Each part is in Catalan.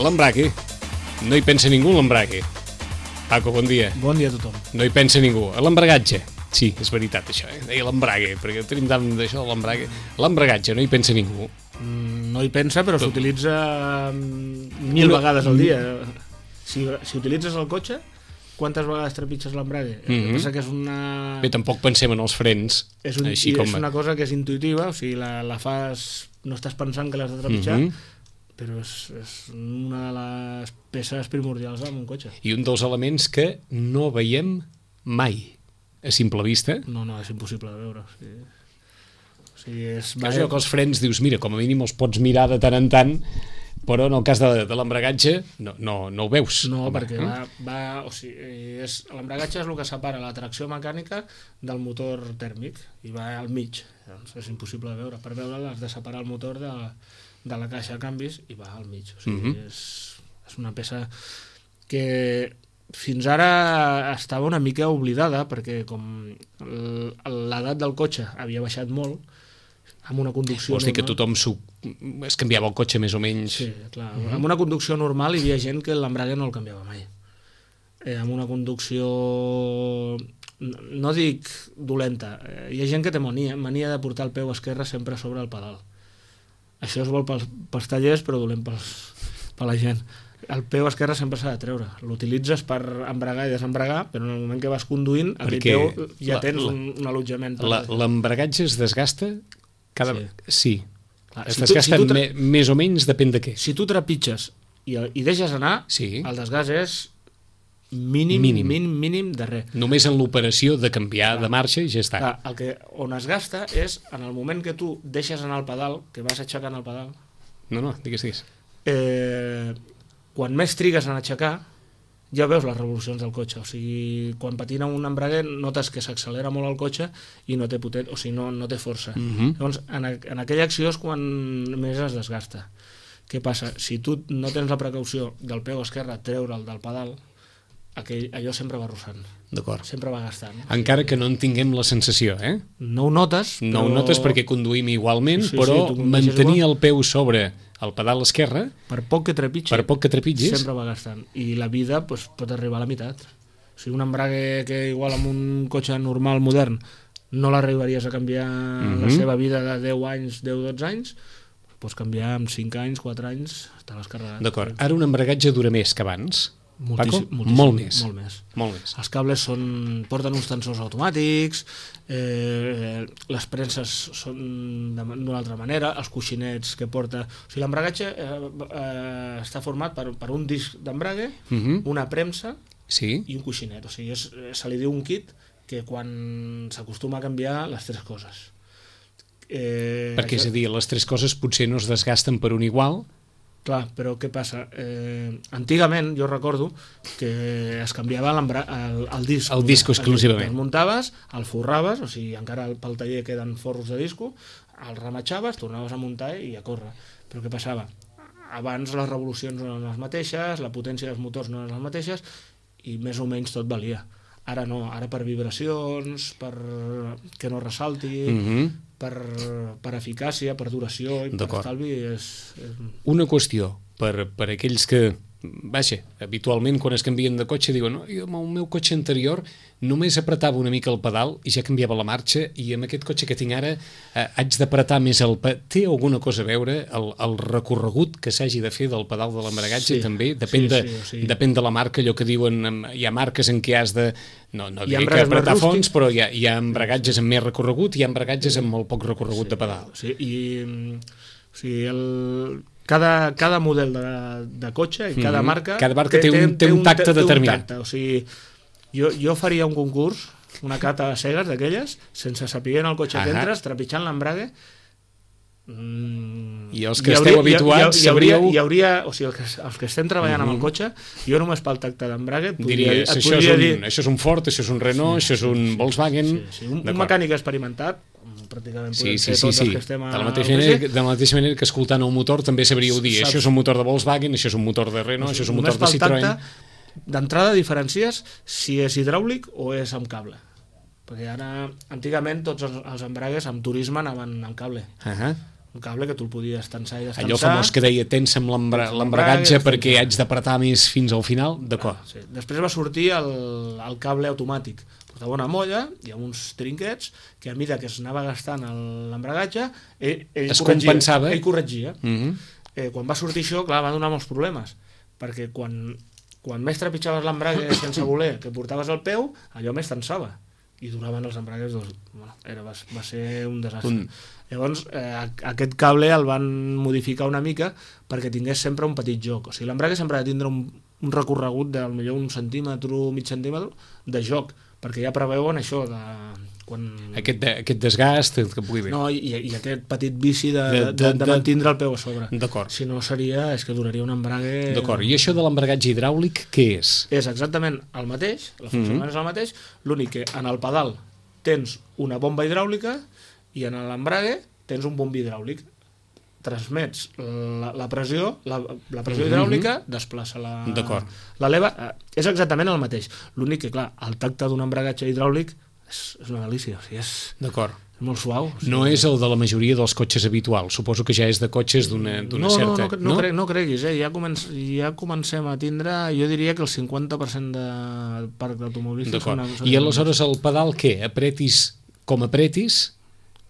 L'embrague. No hi pensa ningú en l'embrague. Paco, bon dia. Bon dia a tothom. No hi pensa ningú. A l'embragatge. Sí, és veritat això, deia l'embrague, perquè tenim tant d'això de l'embrague. L'embragatge, no hi pensa ningú. No hi pensa, però s'utilitza 1000 vegades al dia. Si utilitzes el cotxe, quantes vegades trepitges l'embrague? El que passa que és una... Bé, tampoc pensem en els frens. És una cosa que és intuïtiva, o sigui, la fas... No estàs pensant que l'has de trepitjar, però és una de les peces primordials en un cotxe. I un dels elements que no veiem mai a simple vista. No, és impossible de veure. O sigui, és... Que els frens dius, mira, com a mínim els pots mirar de tant en tant, però en el cas de l'embragatge no ho veus. No, perquè o sigui, l'embragatge és el que separa la tracció mecànica del motor tèrmic i va al mig. Doncs és impossible de veure. Per veure-la has de separar el motor de la caixa de canvis i va al mig. O sigui, és una peça que fins ara estava una mica oblidada, perquè com l'edat del cotxe havia baixat molt, amb una conducció... Vols dir que tothom es canviava el cotxe més o menys? Sí, clar. Amb una conducció normal hi havia gent que l'embrague no el canviava mai. Amb una conducció... No dic dolenta. Hi ha gent que té mania de portar el peu esquerre sempre sobre el pedal. Això es vol pels tallers, però dolent per la gent. El peu esquerre sempre s'ha de treure. L'utilitzes per embragar i desembragar, però en el moment que vas conduint, aquell peu ja tens un allotjament. L'embragatge es desgasta? Sí. Es desgasta més o menys, depèn de què. Si tu trepitges i deixes anar, el desgast és mínim de res. Només en l'operació de canviar de marxa i ja està. On es gasta és en el moment que tu deixes anar el pedal, que vas aixecant el pedal. No, digues. Quan més trigues en aixecar, ja veus les revolucions del cotxe. O sigui, quan patina un embrague notes que s'accelera molt el cotxe i no té no té força. Llavors, en aquella acció és quan més es desgasta. Què passa? Si tu no tens la precaució del peu esquerre treure'l del pedal, allò sempre va arrossant. D'acord. Sempre va gastant. Encara que no en tinguem la sensació, No ho notes. No ho notes perquè conduïm igualment, però mantenir el peu sobre el pedal esquerre, per poc que trepitgis, sempre va gastant. I la vida pot arribar a la meitat. O sigui, un embrague que igual amb un cotxe normal modern no l'arribaries a canviar la seva vida de 10 anys, 10-12 anys, pots canviar en 5 anys, 4 anys, te l'has carregat. D'acord. Ara un embragatge dura més que abans? Moltíssim, molt més. Els cables porten uns tensors automàtics, les premses són d'una altra manera, els coixinets que porta... O sigui, l'embragatge està format per un disc d'embrague, una premsa i un coixinet. O sigui, se li diu un kit que quan s'acostuma a canviar les tres coses. Perquè, és a dir, les tres coses potser no es desgasten per un igual. Clar, però què passa? Antigament, jo recordo que es canviava el disc. El disc exclusivament. El muntaves, el forraves, o sigui, encara pel taller queden forros de disco, el rematxaves, tornaves a muntar i a córrer. Però què passava? Abans les revolucions no eren les mateixes, la potència dels motors no eren les mateixes i més o menys tot valia. Ara no, ara per vibracions, per que no ressalti... per eficàcia, per duració i per estalvi Una qüestió per aquells que habitualment quan es canvien de cotxe diuen jo amb el meu cotxe anterior només apretava una mica el pedal i ja canviava la marxa i amb aquest cotxe que tinc ara haig d'apretar més el pedal. Té alguna cosa a veure el recorregut que s'hagi de fer del pedal de l'embragatge? També depèn de la marca, allò que diuen hi ha marques en què has de no diré que apretar fons, però hi ha embragatges amb més recorregut i hi ha embragatges amb molt poc recorregut de pedal. Cada model de cotxe i cada marca té un tacte determinat. O sigui, jo faria un concurs, una cata a cegues d'aquelles, sense saber en el cotxe que entres, trepitjant l'embrague, i els que esteu habituats sabríeu... Hi hauria, o sigui, els que estem treballant amb el cotxe, jo només pel tacte d'embrague diries, això és un Ford, això és un Renault, això és un Volkswagen... Un mecànic experimentat, pràcticament podem ser tots els que estem de la mateixa manera que escoltant el motor també sabríeu dir, això és un motor de Volkswagen, això és un motor de Renault, això és un motor de Citroën. D'entrada diferencies si és hidràulic o és amb cable, perquè ara antigament tots els embragues amb turisme anaven amb cable. un cable que tu el podies tensar i descansar. Allò famós que deia tensa'm l'embragatge perquè haig d'apretar més fins al final, d'acord. Sí. Després va sortir el cable automàtic. Portava una molla i amb uns trinquets que a mesura que es anava gastant l'embragatge, ell es compensava. Ell corregia. Quan va sortir això, clar, va donar molts problemes, perquè quan més trepitjaves l'embrague sense voler que portaves al peu, allò més tensava i duraven els embragues va ser un desastre. Llavors aquest cable el van modificar una mica perquè tingués sempre un petit joc, o sigui, l'embrague sempre ha de tindre un recorregut de millor un centímetre, mig centímetre de joc, perquè ja preveuen això de aquest desgast que pugui haver. No, i aquest petit vici de mantindre el peu a sobre. D'acord. Si no és que duraria un embrague... D'acord, i això de l'embragatge hidràulic què és? És exactament el mateix, el funcionament és el mateix, l'únic que en el pedal tens una bomba hidràulica i en l'embrague tens un bombi hidràulic. Transmets la pressió, la pressió hidràulica desplaça la leva. És exactament el mateix. L'únic que, clar, el tacte d'un embragatge hidràulic és una delícia, o sigui, és molt suau. O sigui, no és el de la majoria dels cotxes habituals, suposo que ja és de cotxes d'una certa... No creguis, ja comencem a tindre, jo diria que el 50% del parc d'automobilistes... D'acord, i aleshores el pedal què? Apretis com apretis...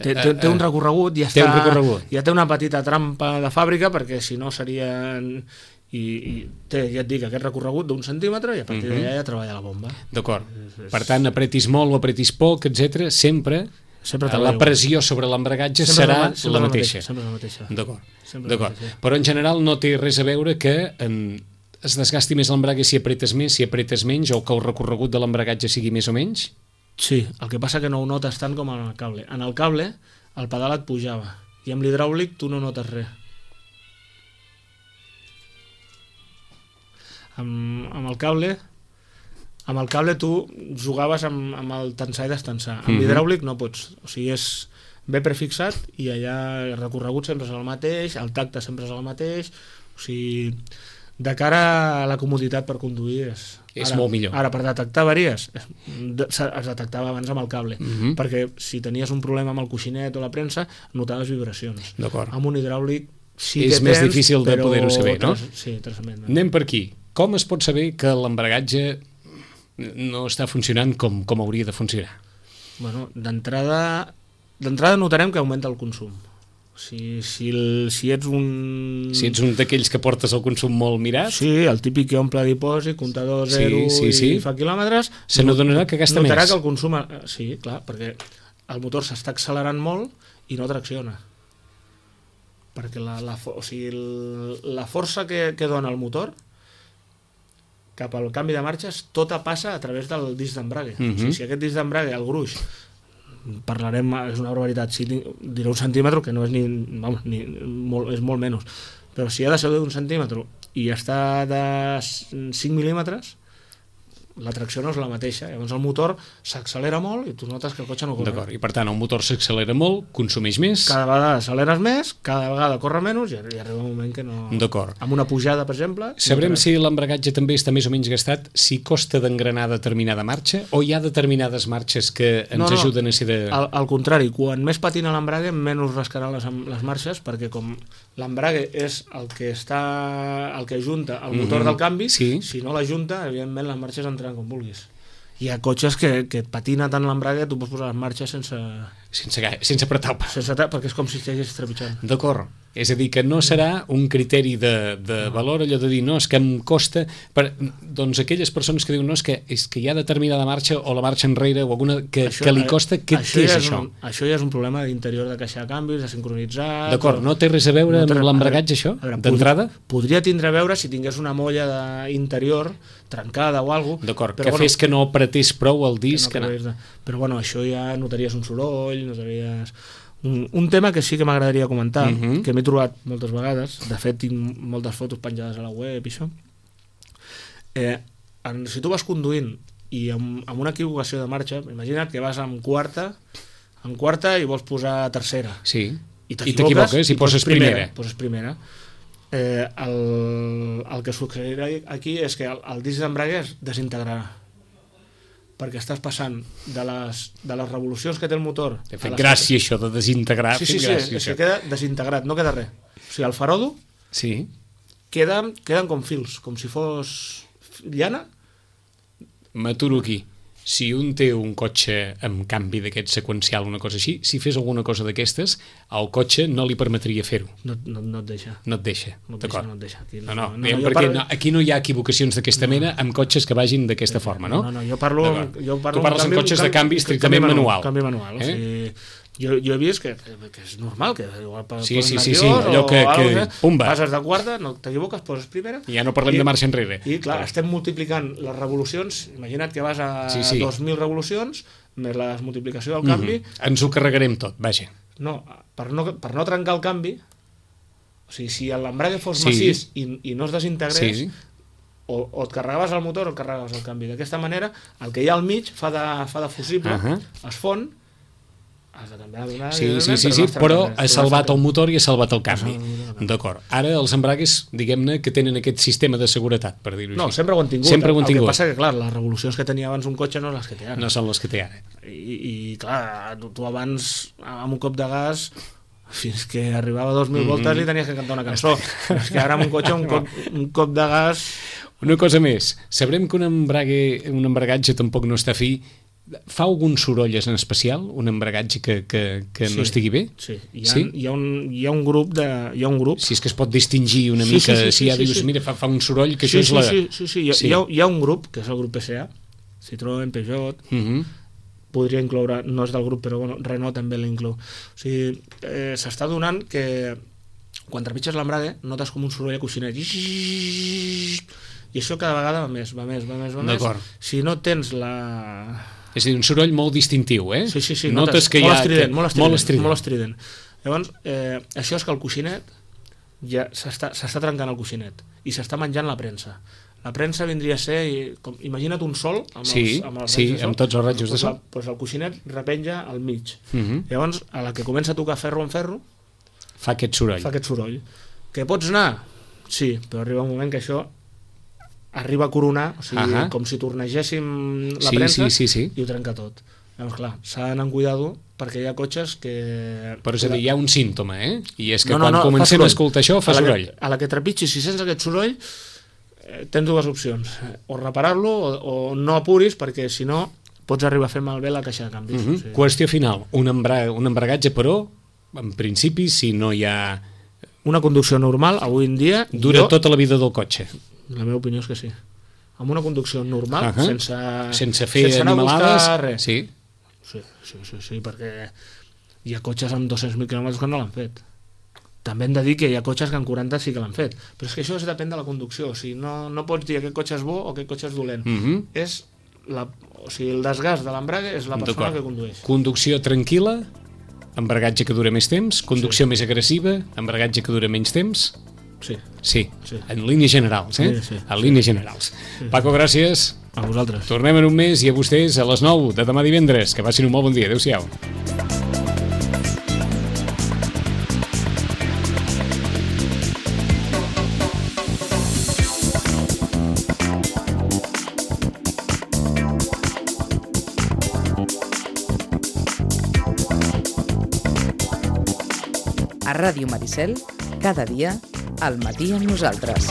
Té un recorregut, ja té una petita trampa de fàbrica, perquè si no seria... I té, ja et dic, aquest recorregut d'un centímetre i a partir d'allà ja treballa la bomba. D'acord. Per tant, apretis molt o apretis poc, etc. sempre la pressió sobre l'embragatge serà la mateixa. Sempre la mateixa. D'acord. Però en general no té res a veure que es desgasti més l'embrague si apretes més, si apretes menys, o que el recorregut de l'embragatge sigui més o menys? Sí, el que passa que no ho notes tant com en el cable. En el cable el pedal et pujava i amb l'hidràulic tu no notes res. Amb el cable tu jugaves amb el tensar i destensar. Amb l'hidràulic no pots, o sigui, és ben prefixat i allà el recorregut sempre és el mateix, el tacte sempre és el mateix, o sigui, de cara a la comoditat per conduir és molt millor. Ara, per detectar avaries es detectava abans amb el cable, perquè si tenies un problema amb el coixinet o la premsa notaves vibracions. Amb un hidràulic sí que és més difícil de poder-ho saber, no? Sí, trasament. Anem per aquí. Com es pot saber que l'embragatge no està funcionant com hauria de funcionar? Bueno, d'entrada notarem que augmenta el consum. Si ets un... Si ets un d'aquells que portes el consum molt mirat... Sí, el típic que omple dipòsit, comptador zero i fa quilòmetres... Se n'adonarà que gasta més. Notarà que el consum... Sí, clar, perquè el motor s'està accelerant molt i no tracciona. Perquè la força que dona el motor cap al canvi de marxes, tota passa a través del disc d'embrague. O sigui, si aquest disc d'embrague, el gruix, parlarem, és una barbaritat, diré un centímetre, que no és és molt menys, però si ha de ser d'un centímetre i està de 5 mil·límetres, la tracció no és la mateixa, llavors el motor s'accelera molt i tu notes que el cotxe no corre. D'acord, i per tant el motor s'accelera molt, consumeix més... Cada vegada acceleres més, cada vegada corre menys i arriba un moment que no... D'acord. Amb una pujada, per exemple... Sabrem si l'embragatge també està més o menys gastat, si costa d'engranar determinada marxa, o hi ha determinades marxes que ens ajuden a ser de... Al contrari, quan més patina l'embrague, menys rascaran les marxes, perquè com l'embrague és el que ajunta el motor del canvi, si no l'ajunta, evidentment les marxes entraran com vulguis. Hi ha cotxes que et patina tant l'embrague, tu pots posar les marxes sense apretar el pas. Perquè és com si estiguessis trepitjant. D'acord. És a dir, que no serà un criteri de valor allò de dir, no, és que em costa... Doncs aquelles persones que diuen, no, és que hi ha determinada marxa o la marxa enrere o alguna que li costa, què és això? Això ja és un problema d'interior de caixa de canvis, de sincronitzar... D'acord, no té res a veure amb l'embragatge, això, d'entrada? Podria tindre a veure si tingués una molla interior trencada o alguna cosa. D'acord, que fes que no apretés prou el disc. Però bueno, això ja notaries un soroll, notaries... Un tema que sí que m'agradaria comentar, que m'he trobat moltes vegades, de fet tinc moltes fotos penjades a la web i això, si tu vas conduint i amb una equivocació de marxa, imagina't que vas amb quarta i vols posar tercera, i t'equivoques i poses primera. El que succeirà aquí és que el disc d'embrague es desintegrarà, perquè estàs passant de les revolucions que té el motor... T'ha fet gràcia això de desintegrar. Sí, és que queda desintegrat, no queda res. O sigui, el farodo queden com fils, com si fos llana. M'aturo aquí. Si un té un cotxe amb canvi d'aquest seqüencial, una cosa així, si fes alguna cosa d'aquestes, el cotxe no li permetria fer-ho. No et deixa. No et deixa, d'acord. No et deixa. Aquí no hi ha equivocacions d'aquesta mena amb cotxes que vagin d'aquesta forma, no? No, jo parlo... Tu parles amb cotxes de canvi estrictament manual. Canvi manual, o sigui... Jo he vist que és normal, que igual sí, allò que pumba. Passes de quarta, no t'equivoques, poses primera... I ja no parlem de marxa enrere. I clar, estem multiplicant les revolucions, imagina't que vas a 2.000 revolucions, més la multiplicació del canvi... Ens ho carregarem tot, vaja. No, per no trencar el canvi, o sigui, si l'embrague fos massís i no es desintegrés, o et carregaves el motor o et carregaves el canvi. D'aquesta manera, el que hi ha al mig fa de fusible, es fon. Sí, però ha salvat el motor i ha salvat el canvi. D'acord. Ara els embragues, diguem-ne, que tenen aquest sistema de seguretat, per dir-ho així. No, sempre ho han tingut. El que passa que, clar, les revolucions que tenia abans un cotxe no les que té ara. No són les que té ara. I clar, tu abans, amb un cop de gas, fins que arribava a 2.000 voltes li tenies que cantar una cançó. És que ara amb un cotxe, un cop de gas... Una cosa més. Sabrem que un embragatge tampoc no està fi. Fa algun soroll en especial, un embragatge que no estigui bé? Sí, hi ha un grup si és que es pot distingir una mica, si ja dius, mira, fa un soroll que això és la... Sí, hi ha un grup, que és el grup PSA, Citroën, Peugeot, podria incloure, no és del grup, però bueno, Renault també l'inclou. O sigui, s'està donant que quan trepitges l'embrague notes com un soroll a coixinet, i això cada vegada va més. Si no tens la... És a dir, un soroll molt distintiu, eh? Sí. Notes que molt estrident. Llavors, això és que el coixinet ja s'està trencant el coixinet i s'està menjant la premsa. La premsa vindria a ser, imagina't un sol amb tots els rajos de sol. Doncs el coixinet repenja al mig. Llavors, a la que comença a tocar ferro en ferro, fa aquest soroll. Que pots anar? Sí, però arriba un moment que això arriba a coronar, o sigui, com si tornegéssim la premsa i ho trenca tot. Llavors, clar, s'ha d'anar amb cuidado perquè hi ha cotxes que... Però és a dir, hi ha un símptoma, I és que quan comencem a escoltar això fa soroll. A la que trepitgis, si sents aquest soroll, tens dues opcions. O reparar-lo o no apuris, perquè si no pots arribar a fer malbé la caixa de canvis. Qüestió final. Un embragatge, però, en principi, si no hi ha... Una conducció normal, avui en dia... Dura tota la vida del cotxe. La meva opinió és que sí. Amb una conducció normal, sense fer animalades, res. Sí, perquè hi ha cotxes amb 200.000 quilòmetres que no l'han fet. També hem de dir que hi ha cotxes que en 40 sí que l'han fet, però és que això depèn de la conducció. O sigui, no pots dir aquest cotxe és bo o aquest cotxe és dolent. És el desgast de l'embrague és la persona que condueix. Conducció tranquil·la, embragatge que dura més temps, conducció més agressiva, embragatge que dura menys temps. Sí, en línies generals, en línies generals. Paco, gràcies. A vosaltres. Tornem en un mes i a vostès a les 9 de demà divendres. Que passin un molt bon dia. Adéu-siau. A Ràdio Maricel, cada dia, al matí amb nosaltres.